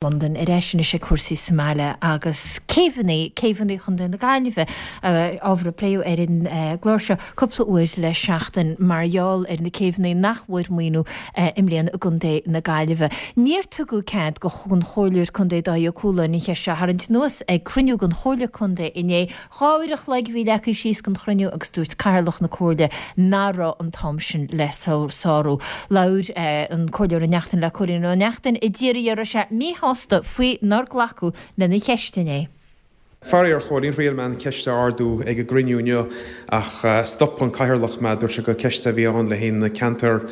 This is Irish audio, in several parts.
Londain ar ais anois ag cúrsaí sa mbaile agus céibheanna, céibheanna Chontae na Gaillimhe, ábhar a pléadh ar an gclár seo cúpla uair le seachtain mar gheall ar na céibheanna nach bhfuair maoiniú i mbliana i gContae na Gaillimhe. Níor tugadh cead don Chomhairleoir Contae Dáithí Ó Cualáin an cheist seo a tharraingt anuas ag cruinniú den Chomhairle Contae inné. 2 uair a chloig a bhí leagtha síos don chruinniú agus dúirt Cathaoirleach na Comhairle nach raibh an t-am sin le sárú. Labhair an Comhairleoir Ó Neachtain le Cóilín Ó Neachtain a d'iarr an raibh sé míshásta faoi nár glacadh lena cheist inné. Faraor, a Chóilín, thriail mé an cheist a ardú ag an gcruinniú inniu ach stop an Cathaoirleach mé. Dúirt sé gur ceist a bhí ann le haghaidh na ceantair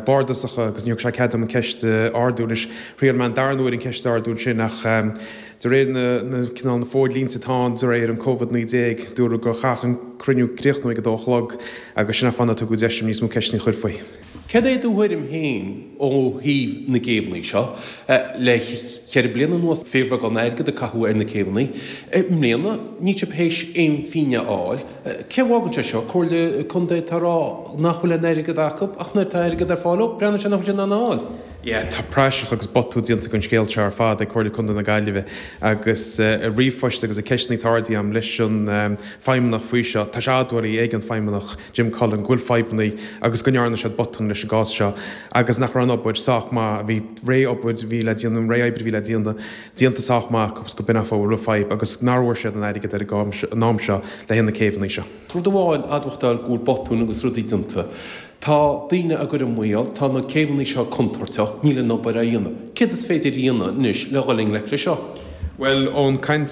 bardasacha agus níor thug sé cead dom an ceist a ardú. Anois, thriail mé an darna huair an ceist a ardú ansin ach De réir na cineál na fódlínte atá ann de réir an Covid-19, dúradh gur chaithfeadh an cruinniú críochnú ag a dó a chlog agus sin an fáth nár tugadh deis dom níos mó ceisteanna a chur faoi. Céard é do thuairim féin ó thaobh na gcéibheanna seo? Le cheithre bliana anuas fíorbheagán airgid a caitheadh ar na céibheanna. I mbliana níl sibh théis aon phingin a fháil. Cé a bhfágann sé seo? Comhairle Contae atá ag rá nach bhfuil aon airgead acu ach nuair atá airgead ar fáil ó, breathnaíonn sé nach bhfuil siad in ann a fháil. Yeah, tá praiseach agus botún déanta den scéal seo ar fad ag Comhairle Contae na Gaillimhe agus i ríomhphoist agus i ceisteanna atá ardaithe agam leis an feidhmeannach faoi seo, tá sé admhaithe ag an feidhmeannach Jim Cullen go bhfuil fadhbanna agus go ndearna siad botún leis an gcás seo agus nach raibh an obair sách maith, a bhí réidh obair a bhí le déanamh, an réidh oibre a bhí le déanamh déanta sách maith acu agus go b'in an fáth a raibh fadhb agus nár bhfuair siad an airgead ar an am seo le haghaidh na céibheanna seo. Rud amháin admhachtáil go bhfuil botúin agus rudaí déanta. Tá daoine á gcur i mbaol, tá na céibheanna seo contúirteach, níl an obair á dhéanamh. Céard is féidir a dhéanamh anois le dhul i ngleic leis seo? Bhuel, ón gcaint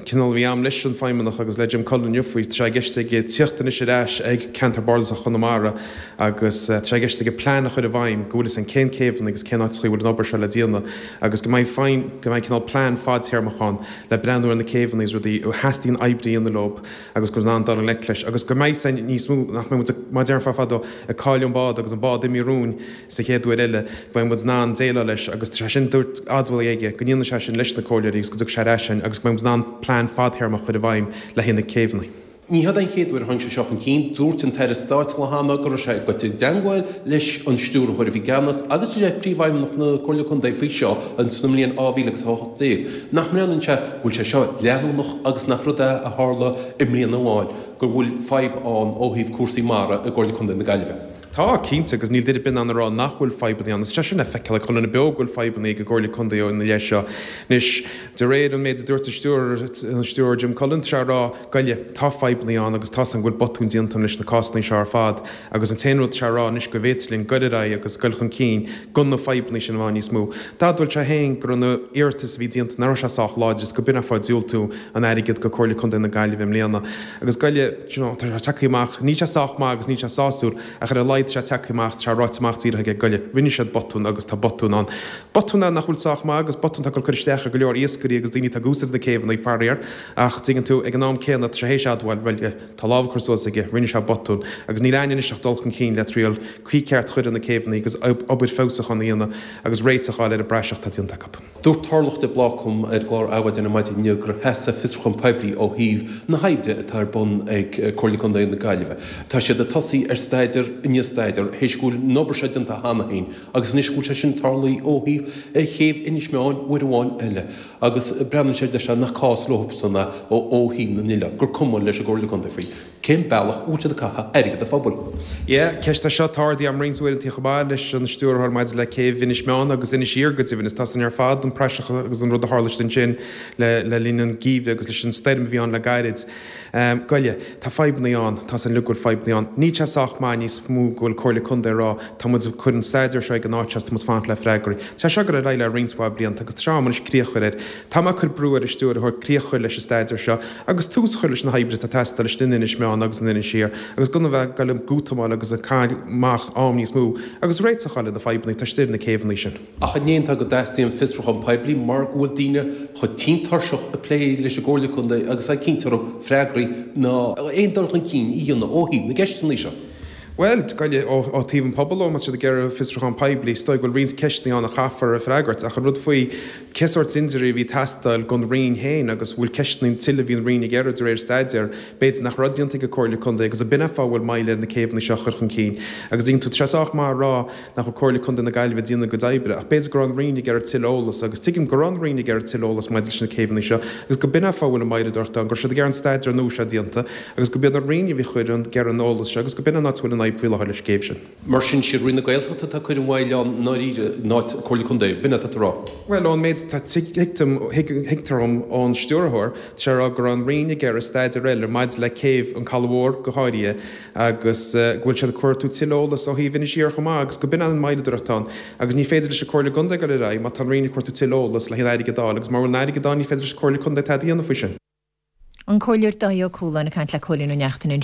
cineál a bhí a'm leis an Feidhmeannach agus le Jim Cullen inniu faoi, tá sé i gceist aige tíocht anois ar ais ag Ceantar Bardasach Chonamara agus tá sé i gceist aige plean a chur i bhfeidhm go bhfuil fhios a'inn cén céibheanna agus cén áiteachaí a bhfuil an obair seo le déanamh agus go mbeidh feidhm, go mbeidh cineál plean fadtéarmach ann le breathnú ar na céibheanna agus rudaí a theastaíonn oibre a dhéanamh leob. agus go in ann dul i ngleic leis agus go mbeidh san níos mó, nach mbeidh muid, mar a déarfá fadó, ag cailleadh an bád agus an bád imithe romhainn sa chéad uair eile, go mbeidh muid in ann déileáil leis agus tá sé sin, dúirt, admhaithe aige go ndéanfaidh sé sin leis na comhairleoirí agus go dtiocfaidh sé ar ais chugainn agus go mbeidh muid in ann plean fadthéarmach a chur i bhfeidhm le haghaidh na céibheanna. Ní hiod an chéad uair a tháinig sé seo chun cinn. Dúirt an tAire Stáit cheana go raibh sé ag goil i dteangmháil leis an Stiúrthóir a bhí i gceannas agus le Príomhfheidhmeannach na Comhairle Contae faoi seo sa mbliain 2018. Nach mbreathnaíonn sé go bhfuil sé seo leanúnach agus nach rud é a tharla i mbliana amháin, go bhfuil fadhb ann ó thaobh cúrsaí mara i gComhairle Contae na Gaillimhe. Tá, cinnte, agus níl duine ar bith in ann a rá nach bhfuil fadhbanna ann. Is tá sé sin le feiceáil ag chuile dhuine beo go bhfuil fadhbanna ag an gComhairle Contae ina leith seo. Anois, de réir an méid a dúirt an stiúrthóir, an stiúrthóir Jim Cullen, tá sé ag rá, goile, tá fadhbanna ann agus tá's a'm go bhfuil botúin déanta leis na cásanna seo ar fad agus an t-aon rud tá sé ag rá anois go bhféadfadh linn goil ar aghaidh agus goil chun cinn gan na fadhbanna sin a bheith ann níos mó. D'admhaigh sé féin go raibh na iarratais a bhí déanta, nach raibh sé sách láidir is go b'in an fáth diúltú an airgead go Comhairle Contae na Gaillimhe i mbliana. Agus goile, you know, tá sé tagtha amach, níl sé sách maith agus níl sé sásúil ach ar a laghad tá sé tagtha amach, tá sé ráite amach díreach aige, goile, rinne siad botún agus tá botún ann. Botún é nach bhfuil sách maith agus botún atá ag cur isteach ar go leor iascairí agus daoine atá ag úsáid na céibheanna, faraor, ach tuigeann tú, ag an am céanna tá sé théis admháil, bhuel, Tá lámh curtha suas aige, rinne sé botún, agus níl a'inn anois ach dul chun cinn le triail caoi ceart a chur ar na céibheanna agus obair feabhsúcháin a dhéanamh agus réiteach a fháil ar an bpraiseach atá déanta acu. Dúirt Tarlach de Blácam ar an gclár Adhmhaidin ar maidin inniu gur theastaigh fiosrúchán poiblí ó thaobh na hoibre atá ar bun ag Comhairle Contae na Gaillimhe. Tá siad ag tosaí ar staidéar i ndiaidh staidéir théis go bhfuil an obair seo déanta cheana féin agus anois go bhfuil sé sin tarlaithe ó thaobh chéibh Inis Meáin uair amháin eile. Agus breathnaíonn sé leis nach cás leobsan é ó thaobh na n-oileán, gur cuma leis an gComhairle Contae faoi cén bealach a bhfuil siad ag caitheamh airgead an phobail. Yeah, ceist é seo atá ardaithe agam roinnt uaireanta chomh maith leis an stiúrthóir maidir le céibh Inis Meáin agus Inis Oírr go deimhin. Is tá san ar fad, an praiseach agus an rud a tharla ansin le linn an gheimhridh agus leis an stoirm a bhí ann le gairid. Goile, tá fadhbanna ann, tá san uilig go bhfuil fadhbanna ann. Níl sé sách maith níos mó go bhfuil Comhairle Contae ag rá, tá muid ag cur an staidéar seo ag an áit seo is tá muid fanacht le freagraí. Tá sé seo ag dul ar aghaidh le roinnt mhaith blianta agus tá sé am anois críoch a chur air. Tá mé ag cur brú ar an stiúrthóir críoch a chur leis an staidéar seo agus tús a chur leis na hoibrithe atá ag teastáil istigh in Inis Meáin agus in Inis Oírr agus gan a bheith ag goil ag útamáil agus ag caitheamh amach am níos mó agus réiteach a fháil ar na fadhbanna atá istigh ar na céibheanna sin. Ach an ndéanfá go dteastaíonn fiosrúchán poiblí mar go bhfuil daoine chomh tinn tuirseach ag plé leis an gComhairle Contae agus ag cinnt orthu freagraí ná aon dul chun cinn a dhéanamh ó thaobh na gceisteanna seo. Bhuel, gabh i leith, ó thaobh an pobal ó, má tá siad ag iarraidh fiosrúchán poiblí, is dóigh go bhfuil roinnt ceisteanna ann a chaithfear a freagairt, ach an rud faoi cé sórt dintiúirí a bhí ag teastáil don Roinn féin agus bhfuil ceisteanna tuilleadh a bhí an Roinn ag iarraidh de réir staidéir, b'fhéidir nach raibh déanta ag an Comhairle Contae agus ab in é an fáth a bhfuil moill ar na céibheanna seo a chur chun cinn. Agus tuigeann tú, tá sé sách maith a rá nach bhfuil Comhairle Contae na Gaillimhe ag déanamh a gcuid oibre, ach b'fhéidir go raibh an Roinn ag iarraidh tuilleadh eolas, agus tuigim go raibh an Roinn ag iarraidh tuilleadh eolas maidir leis na céibheanna seo, agus go b'in é an fáth a bhfuil an mhoilleadóireacht ann, go raibh siad ag iarraidh an staidéar nua seo déanta, agus go b'iad an Roinn a bhí ag cur an, ag iarraidh an eolas seo, agus go b'in an áit a bhfuil an fhadhb faoi láthair leis an gcéibh sin. Mar sin, sí Roinn na Gaeltachta atá ag cur an mhoill ann i ndáiríre, in áit Comhairle Contae, b'in é atá tú a rá? Bhuel, ón méid atá, tuigim, thuigtear dom ón Stiúrthóir, tá sé ag rá go raibh an Roinn ag iarraidh staidéar eile maidir le céibh an Caladh Mhór go háirithe, agus go bhfuil siad ag cuartú tuilleadh eolas ó thaobh Inis Oírr chomh maith agus go b'in an moilleadóireacht ann agus ní féidir leis an Comhairle Contae dul ar aghaidh má tá an Roinn ag cuartú tuilleadh eolas le haon airgead a fháil agus mura bhfuil an airgead ann ní féidir leis an Comhairle Contae tada a dhéanamh faoi sin. An Comhairleoir Dáithí Ó Cualáin ag caint le Cóilín Ó Neachtain ansin.